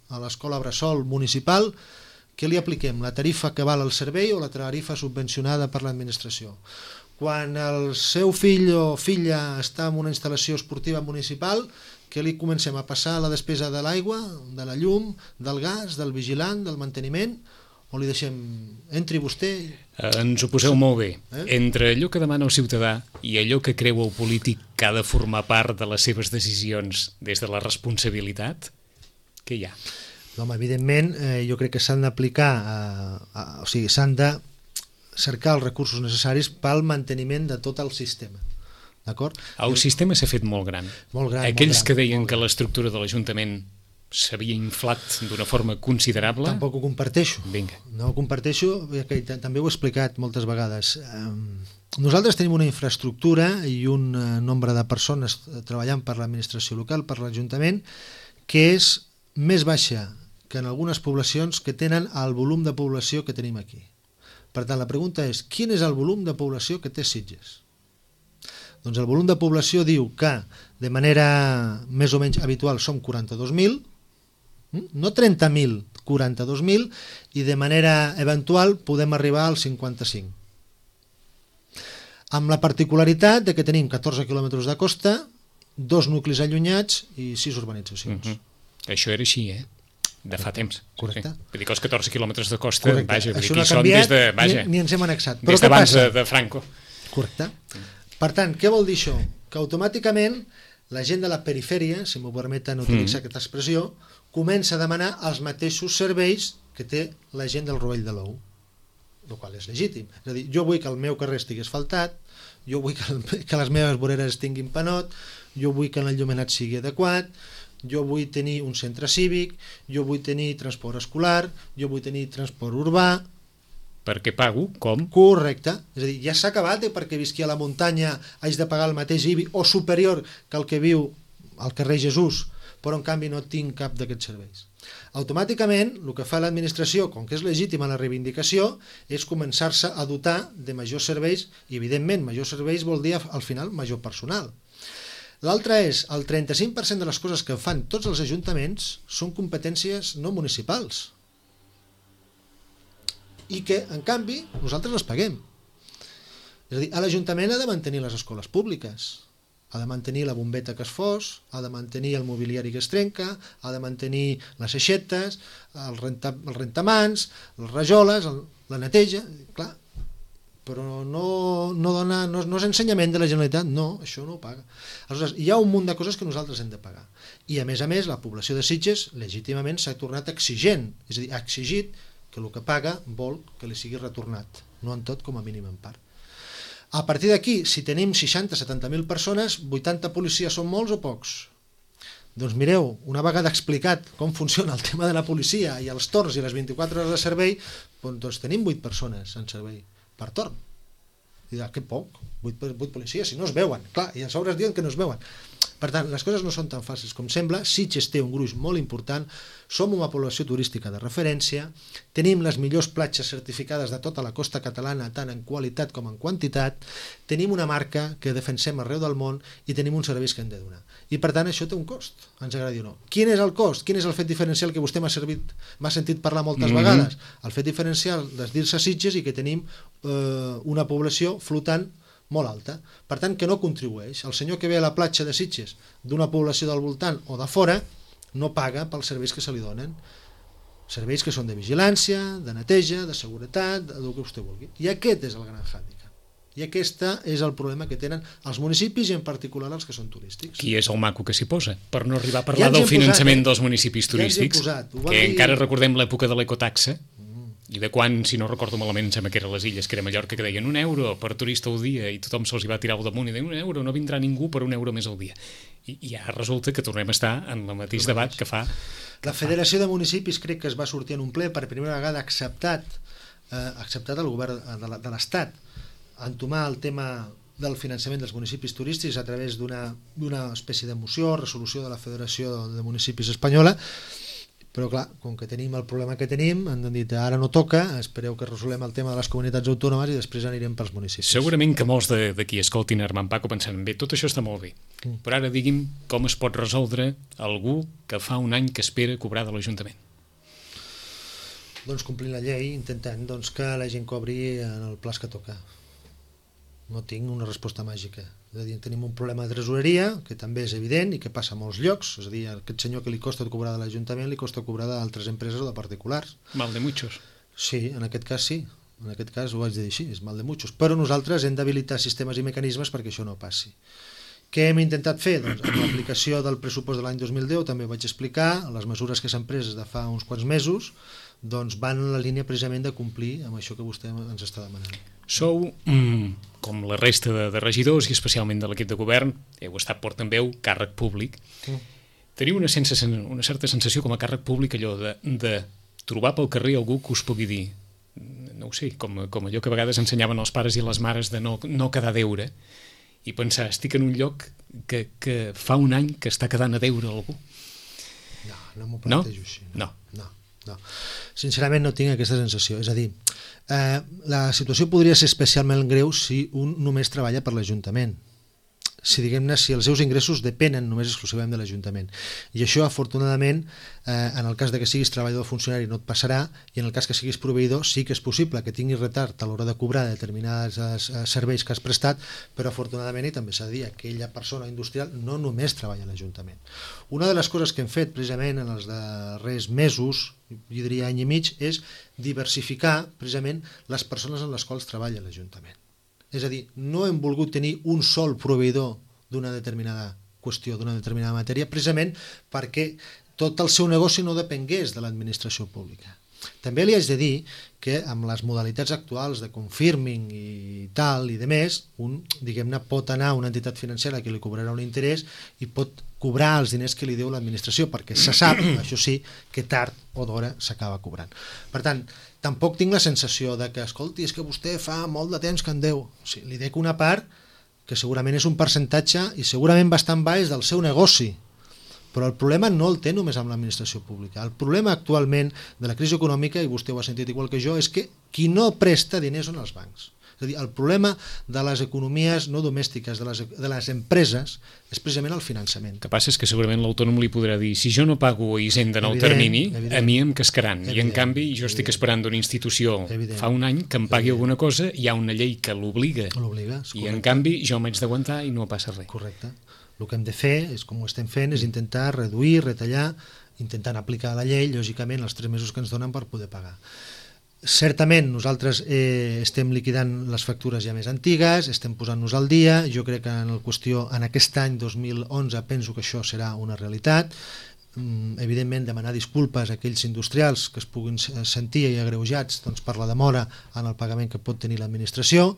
a l'escola bressol municipal, què li apliquem? La tarifa que val el servei o la tarifa subvencionada per l'administració? Quan el seu fill o filla està en una instal·lació esportiva municipal, què li comencem a passar la despesa de l'aigua, de la llum, del gas, del vigilant, del manteniment, o li deixem, entri vostè? Ens ho poseu molt bé. Entre allò que demana el ciutadà i allò que creu el polític que ha de formar part de les seves decisions des de la responsabilitat, què hi ha? Home, evidentment, jo crec que s'han d'aplicar, o sigui, s'han de cercar els recursos necessaris pel manteniment de tot el sistema. D'acord? El sistema s'ha fet molt gran. Molt gran. Aquells que deien que l'estructura de l'Ajuntament s'havia inflat d'una forma considerable... Tampoc ho comparteixo. Vinga. No ho comparteixo, que també ho he explicat moltes vegades. Nosaltres tenim una infraestructura i un nombre de persones treballant per l'administració local, per l'Ajuntament, que és més baixa que en algunes poblacions que tenen el volum de població que tenim aquí. Per tant, la pregunta és, quin és el volum de població que té Sitges? Doncs el volum de població diu que de manera més o menys habitual som 42.000, no 30.000, 42.000, i de manera eventual podem arribar als 55. Amb la particularitat de que tenim 14 quilòmetres de costa, 2 nuclis allunyats i 6 urbanitzacions. Això era així, de fa temps. Correcte. Vull dir que els 14 quilòmetres de costa, vaja, això no no ha canviat, vaja, ni ens hem annexat. Des d'abans de Franco. Correcte. Per tant, què vol dir això? Que automàticament la gent de la perifèria, si m'ho permeten utilitzar aquesta expressió, comença a demanar els mateixos serveis que té la gent del Rovell de l'Ou, el qual és legítim. És a dir, jo vull que el meu carrer estigui asfaltat, jo vull que les meves voreres tinguin panot, jo vull que l'enllumenat sigui adequat, jo vull tenir un centre cívic, jo vull tenir transport escolar, jo vull tenir transport urbà... Perquè pago, com? Correcte. És a dir, ja s'ha acabat perquè visqui a la muntanya haig de pagar el mateix IBI o superior que el que viu al carrer Jesús, però en canvi no tinc cap d'aquests serveis. Automàticament, el que fa l'administració, com que és legítima la reivindicació, és començar-se a dotar de majors serveis, i evidentment majors serveis vol dir al final major personal. L'altre és, el 35% de les coses que fan tots els ajuntaments són competències no municipals i que, en canvi, nosaltres les paguem. És a dir, l'Ajuntament ha de mantenir les escoles públiques, ha de mantenir la bombeta que es fos, ha de mantenir el mobiliari que es trenca, ha de mantenir les aixetes, el rentamans, les rajoles, la neteja, clar, però no és ensenyament de la Generalitat, no, això no ho paga. Aleshores, hi ha un munt de coses que nosaltres hem de pagar. I a més, la població de Sitges legítimament s'ha tornat exigent, és a dir, ha exigit que el que paga vol que li sigui retornat, no en tot, com a mínim en part. A partir d'aquí, si tenim 60-70.000 persones, 80 policies són molts o pocs? Doncs mireu, una vegada explicat com funciona el tema de la policia i els torns i les 24 hores de servei, doncs tenim 8 persones en servei per torn. I que poc, 8 policies, si no es veuen, clar, i a sobre es diuen que no es veuen. Per tant, les coses no són tan fàcils com sembla. Sitges té un gruix molt important, som una població turística de referència, tenim les millors platges certificades de tota la costa catalana, tant en qualitat com en quantitat, tenim una marca que defensem arreu del món i tenim uns serveis que hem de donar. I per tant això té un cost, ens agradi o no. Quin és el cost? Quin és el fet diferencial que vostè m'ha sentit parlar moltes vegades? El fet diferencial de dir-se Sitges i que tenim una població flotant molt alta, per tant que no contribueix. El senyor que ve a la platja de Sitges d'una població del voltant o de fora no paga pels serveis que se li donen. serveis que són de vigilància, de neteja, de seguretat, del que vostè vulgui. I aquest és el gran hàndicap. I aquest és el problema que tenen els municipis i en particular els que són turístics. Qui és el maco que s'hi posa? Per no arribar a parlar del finançament dels municipis turístics, que encara recordem l'època de l'ecotaxa, i de quan, si no recordo malament, sembla que eren les illes, que era Mallorca, que deien €1 per turista al dia, i tothom se'ls hi va tirar al damunt i deien €1, no vindrà ningú per €1 més al dia. I ara resulta que tornem a estar en el mateix debat que fa... La Federació de Municipis crec que es va sortir en un ple per primera vegada acceptat el govern de l'Estat entomar el tema del finançament dels municipis turístics a través d'una espècie de moció, resolució de la Federació de Municipis Espanyola, però clar, com que tenim el problema que tenim, han dit ara no toca, espereu que resolem el tema de les comunitats autònomes i després anirem pels municipis. Segurament que molts de qui escoltin Armand Paco pensaran, bé, tot això està molt bé, però ara digui'm com es pot resoldre algú que fa un any que espera cobrar de l'Ajuntament. Doncs complint la llei, intentant que la gent cobri en el plaç que toca. No tinc una resposta màgica. És a dir, tenim un problema de tresoreria, que també és evident i que passa a molts llocs. És a dir, a aquest senyor que li costa cobrar de l'Ajuntament li costa cobrar d'altres empreses o de particulars. Mal de muchos. Sí, en aquest cas sí. En aquest cas ho haig de dir així, és mal de muchos. Però nosaltres hem d'habilitar sistemes i mecanismes perquè això no passi. Què hem intentat fer? Doncs amb l'aplicació del pressupost de l'any 2010 també vaig explicar, les mesures que s'han pres des de fa uns quants mesos van en la línia precisament de complir amb això que vostè ens està demanant. Sou, com la resta de regidors i especialment de l'equip de govern, heu estat portaveu, càrrec públic. Teniu una certa sensació com a càrrec públic allò de trobar pel carrer algú que us pugui dir, no ho sé, com allò que a vegades ensenyaven els pares i les mares de no quedar a deure, i pensar, estic en un lloc que fa un any que està quedant a deure algú. No m'ho plantejo així. No. Sincerament no tinc aquesta sensació. És a dir, la situació podria ser especialment greu si un només treballa per l'Ajuntament. Si els seus ingressos depenen només exclusivament de l'Ajuntament. I això, afortunadament, en el cas de que siguis treballador o funcionari no et passarà, i en el cas que siguis proveïdor sí que és possible que tinguis retard a l'hora de cobrar determinats serveis que has prestat, però afortunadament, i també s'ha de dir, aquella persona industrial no només treballa a l'Ajuntament. Una de les coses que hem fet precisament en els darrers mesos, jo diria any i mig, és diversificar precisament les persones en les quals treballa l'Ajuntament. És a dir, no hem volgut tenir un sol proveïdor d'una determinada qüestió, d'una determinada matèria, precisament perquè tot el seu negoci no depengués de l'administració pública. També li haig de dir que amb les modalitats actuals de confirming i tal i de més, diguem-ne, pot anar a una entitat financera que li cobrarà un interès i pot cobrar els diners que li deu l'administració, perquè se sap, això sí, que tard o d'hora s'acaba cobrant. Per tant, tampoc tinc la sensació de que, escolti, és que vostè fa molt de temps que en deu. Sí, li dec una part que segurament és un percentatge i segurament bastant baix del seu negoci, però el problema no el té només amb l'administració pública. El problema actualment de la crisi econòmica, i vostè ho ha sentit igual que jo, és que qui no presta diners són els bancs. És a dir, el problema de les economies no domèstiques, de les empreses, és precisament el finançament. El que passa és que segurament l'autònom li podrà dir, si jo no pago Hisenda en el termini, a mi em cascaran. I en canvi jo estic esperant d'una institució fa un any que em pagui alguna cosa, hi ha una llei que l'obliga. I en canvi jo m'haig d'aguantar i no passa res. Correcte. El que hem de fer, és com ho estem fent, és intentar reduir, retallar, intentant aplicar la llei, lògicament, els 3 mesos que ens donen per poder pagar. Certament nosaltres estem liquidant les factures ja més antigues, estem posant-nos al dia, jo crec que en aquest any 2011 penso que això serà una realitat. Evidentment demanar disculpes a aquells industrials que es puguin sentir agreujats per la demora en el pagament que pot tenir l'administració,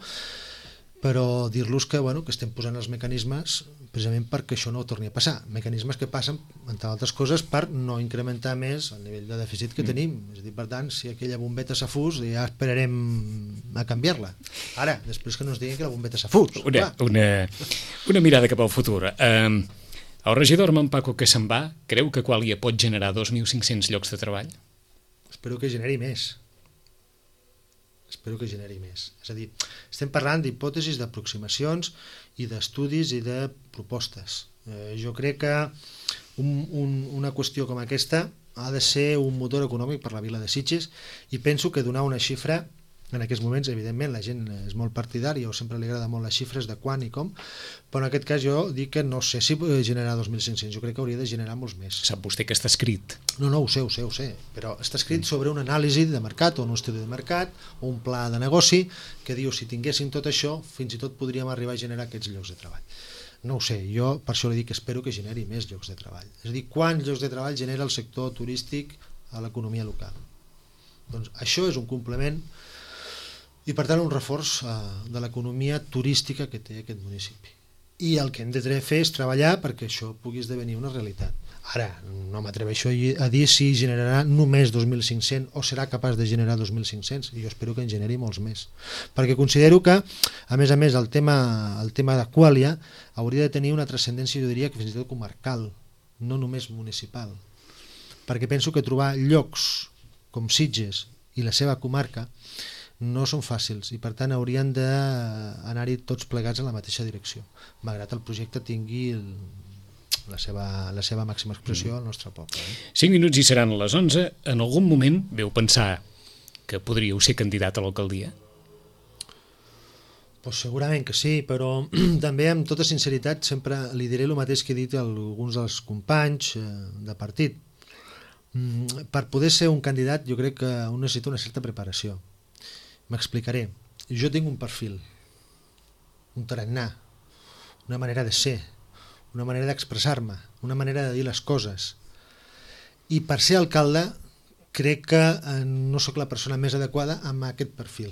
però dir-los que estem posant els mecanismes precisament perquè això no torni a passar. Mecanismes que passen, entre altres coses, per no incrementar més el nivell de dèficit que tenim. És a dir, per tant, si aquella bombeta s'ha fus, ja esperarem a canviar-la. Ara, després que no ens diguin que la bombeta s'ha fus. Una mirada cap al futur. El regidor Armand Paco que se'n va, creu que Qualia pot generar 2.500 llocs de treball? Espero que generi més. És a dir, estem parlant d'hipòtesis, d'aproximacions i d'estudis i de propostes. Jo crec que una qüestió com aquesta ha de ser un motor econòmic per la vila de Sitges i penso que donar una xifra En aquests moments, evidentment, la gent és molt partidària o sempre li agrada molt les xifres de quan i com, però en aquest cas jo dic que no sé si generarà 2.500, jo crec que hauria de generar molts més. Sap vostè que està escrit? No, ho sé, però està escrit sobre una anàlisi de mercat o un estudi de mercat o un pla de negoci que diu si tinguéssim tot això, fins i tot podríem arribar a generar aquests llocs de treball. No ho sé, jo per això li dic que espero que generi més llocs de treball. És a dir, quants llocs de treball genera el sector turístic a l'economia local? Doncs això és un complement i per tant un reforç de l'economia turística que té aquest municipi. I el que hem de fer és treballar perquè això pugui esdevenir una realitat. Ara, no m'atreveixo a dir si generarà només 2.500 o serà capaç de generar 2.500, i jo espero que en generi molts més. Perquè considero que, a més, el tema d'Aquàlia hauria de tenir una transcendència, jo diria que fins i tot comarcal, no només municipal. Perquè penso que trobar llocs com Sitges i la seva comarca no són fàcils i per tant haurien d'anar-hi tots plegats en la mateixa direcció, malgrat el projecte tingui la seva màxima expressió al nostre poble. 5 minuts i seran les 11. En algun moment veu pensar que podríeu ser candidat a l'alcaldia? Pues segurament que sí, però també amb tota sinceritat sempre li diré el mateix que he dit a alguns dels companys de partit. Per poder ser un candidat jo crec que un necessita una certa preparació. M'explicaré. Jo tinc un perfil, un tarannà, una manera de ser, una manera d'expressar-me, una manera de dir les coses. I per ser alcalde crec que no sóc la persona més adequada amb aquest perfil.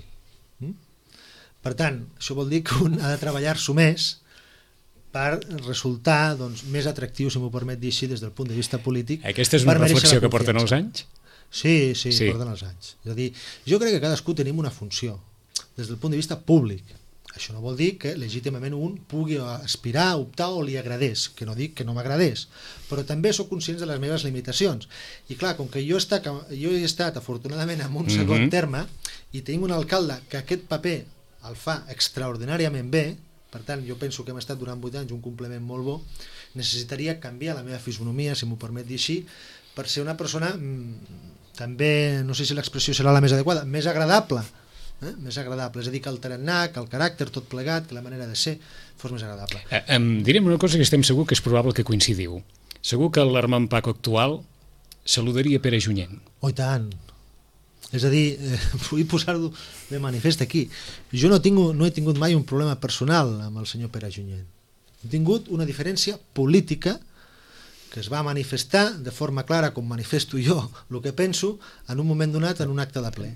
Per tant, això vol dir que un ha de treballar-s'ho més per resultar més atractiu, si m'ho permet dir així, des del punt de vista polític. Aquesta és una reflexió que porten els anys? Sí, porten els anys. És a dir, jo crec que cadascú tenim una funció des del punt de vista públic. Això no vol dir que legítimament un pugui aspirar, optar o li agradés, que no dic que no m'agradés, però també sóc conscient de les meves limitacions. I clar, com que jo he estat afortunadament en un segon terme i tinc un alcalde que aquest paper el fa extraordinàriament bé, per tant jo penso que hem estat durant 8 anys un complement molt bo, necessitaria canviar la meva fisonomia, si m'ho permet dir així, per ser una persona també, no sé si l'expressió serà la més adequada, més agradable, més agradable, és a dir, que el tarannà, que el caràcter tot plegat, que la manera de ser fos més agradable. Direm una cosa que estem segur que és probable que coincidiu. Segur que l'Armand Paco actual saludaria Pere Junyent. Oh, i tant! És a dir, vull posar-ho de manifest aquí. Jo no he tingut mai un problema personal amb el senyor Pere Junyent. He tingut una diferència política que es va manifestar de forma clara, com manifesto jo el que penso, en un moment donat en un acte de ple.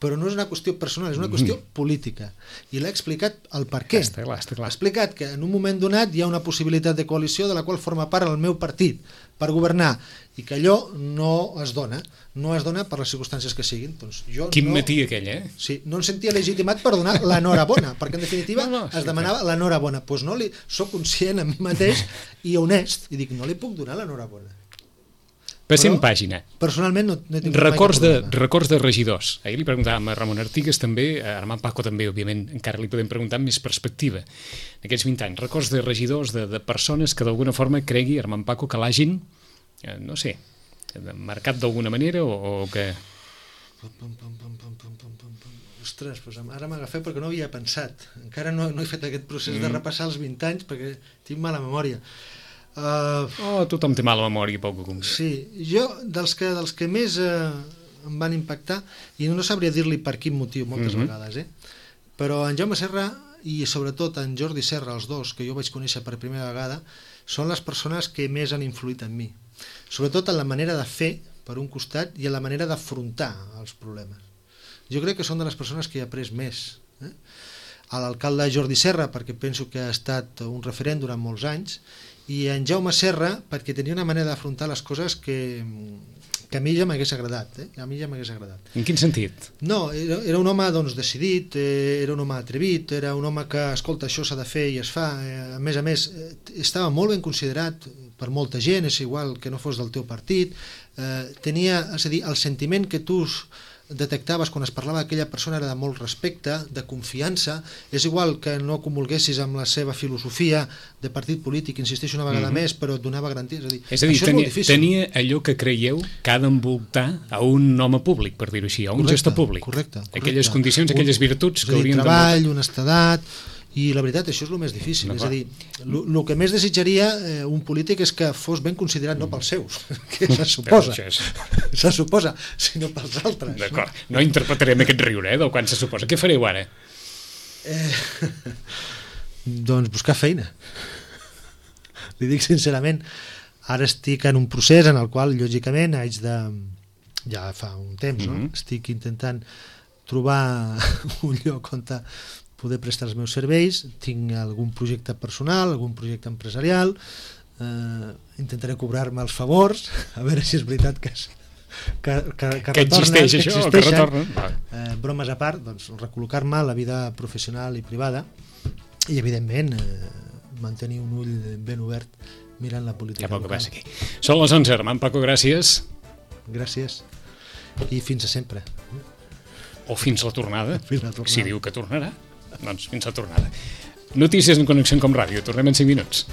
Però no és una qüestió personal, és una qüestió política. I l'he explicat el per què. Està clar. He explicat que en un moment donat hi ha una possibilitat de coalició de la qual forma part el meu partit per governar i que allò no es dona per les circumstàncies que siguin. Doncs jo Quin matí aquell, Sí, no em sentia legitimat per donar l'enhorabona, perquè en definitiva es demanava l'enhorabona. Doncs no soc conscient a mi mateix i honest, i dic, no li puc donar l'enhorabona. Passem pàgina. Personalment no he tingut mai cap problema. Records de regidors. Ahir li preguntàvem a Ramon Artigas també, a Armand Paco també, òbviament, encara li podem preguntar amb més perspectiva. En aquests 20 anys, records de regidors, de persones que d'alguna forma cregui, Armand Paco, que l'hagin, no sé, marcat d'alguna manera o que... Ostres, ara m'agafeu perquè no havia pensat. Encara no he fet aquest procés de repassar els 20 anys perquè tinc mala memòria. Tothom té mala memòria, poc o concret. Sí, jo dels que més em van impactar, i no sabria dir-li per quin motiu moltes vegades, però en Jaume Serra i sobretot en Jordi Serra, els dos que jo vaig conèixer per primera vegada, són les persones que més han influït en mi, sobretot en la manera de fer per un costat i en la manera d'afrontar els problemes. Jo crec que són de les persones que he après més. A l'alcalde Jordi Serra, perquè penso que ha estat un referent durant molts anys, i en Jaume Serra perquè tenia una manera d'afrontar les coses que a mi ja m'hagués agradat. En quin sentit? No, era un home decidit, era un home atrevit, era un home que, escolta, això s'ha de fer i es fa. A més, estava molt ben considerat per molta gent, és igual que no fos del teu partit. Tenia, és a dir, el sentiment que tu detectaves quan es parlava d'aquella persona era de molt respecte, de confiança, és igual que no comulguessis amb la seva filosofia de partit polític, insisteixo una vegada més, però et donava garanties. És a dir, tenia allò que creieu que ha d'envoltar a un home públic, per dir-ho així, a un gestor públic. Correcte. Aquelles condicions, aquelles virtuts que haurien treball, honestedat, i la veritat, això és el més difícil. És a dir, el que més desitjaria un polític és que fos ben considerat no pels seus, que se suposa, sinó pels altres. D'acord, no interpretarem aquest riure del quan se suposa. Què fareu ara? Doncs buscar feina. Li dic sincerament, ara estic en un procés en el qual, lògicament, haig de... ja fa un temps, no? Estic intentant trobar un lloc on poder prestar els meus serveis, tinc algun projecte personal, algun projecte empresarial, intentaré cobrar-me els favors, a veure si és veritat que existeix això, que retornen. Bromes a part, doncs, recol·locar-me a la vida professional i privada i, evidentment, mantenir un ull ben obert mirant la política local. Aquí. Són les 11, Armand Paco, gràcies. Gràcies. I fins a sempre. O fins la tornada. Si diu que tornarà. Doncs fins la tornada. Notícies en Connexió Com Ràdio. Tornem en 5 minuts.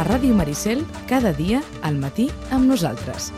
A Ràdio Maricel, cada dia al matí amb nosaltres.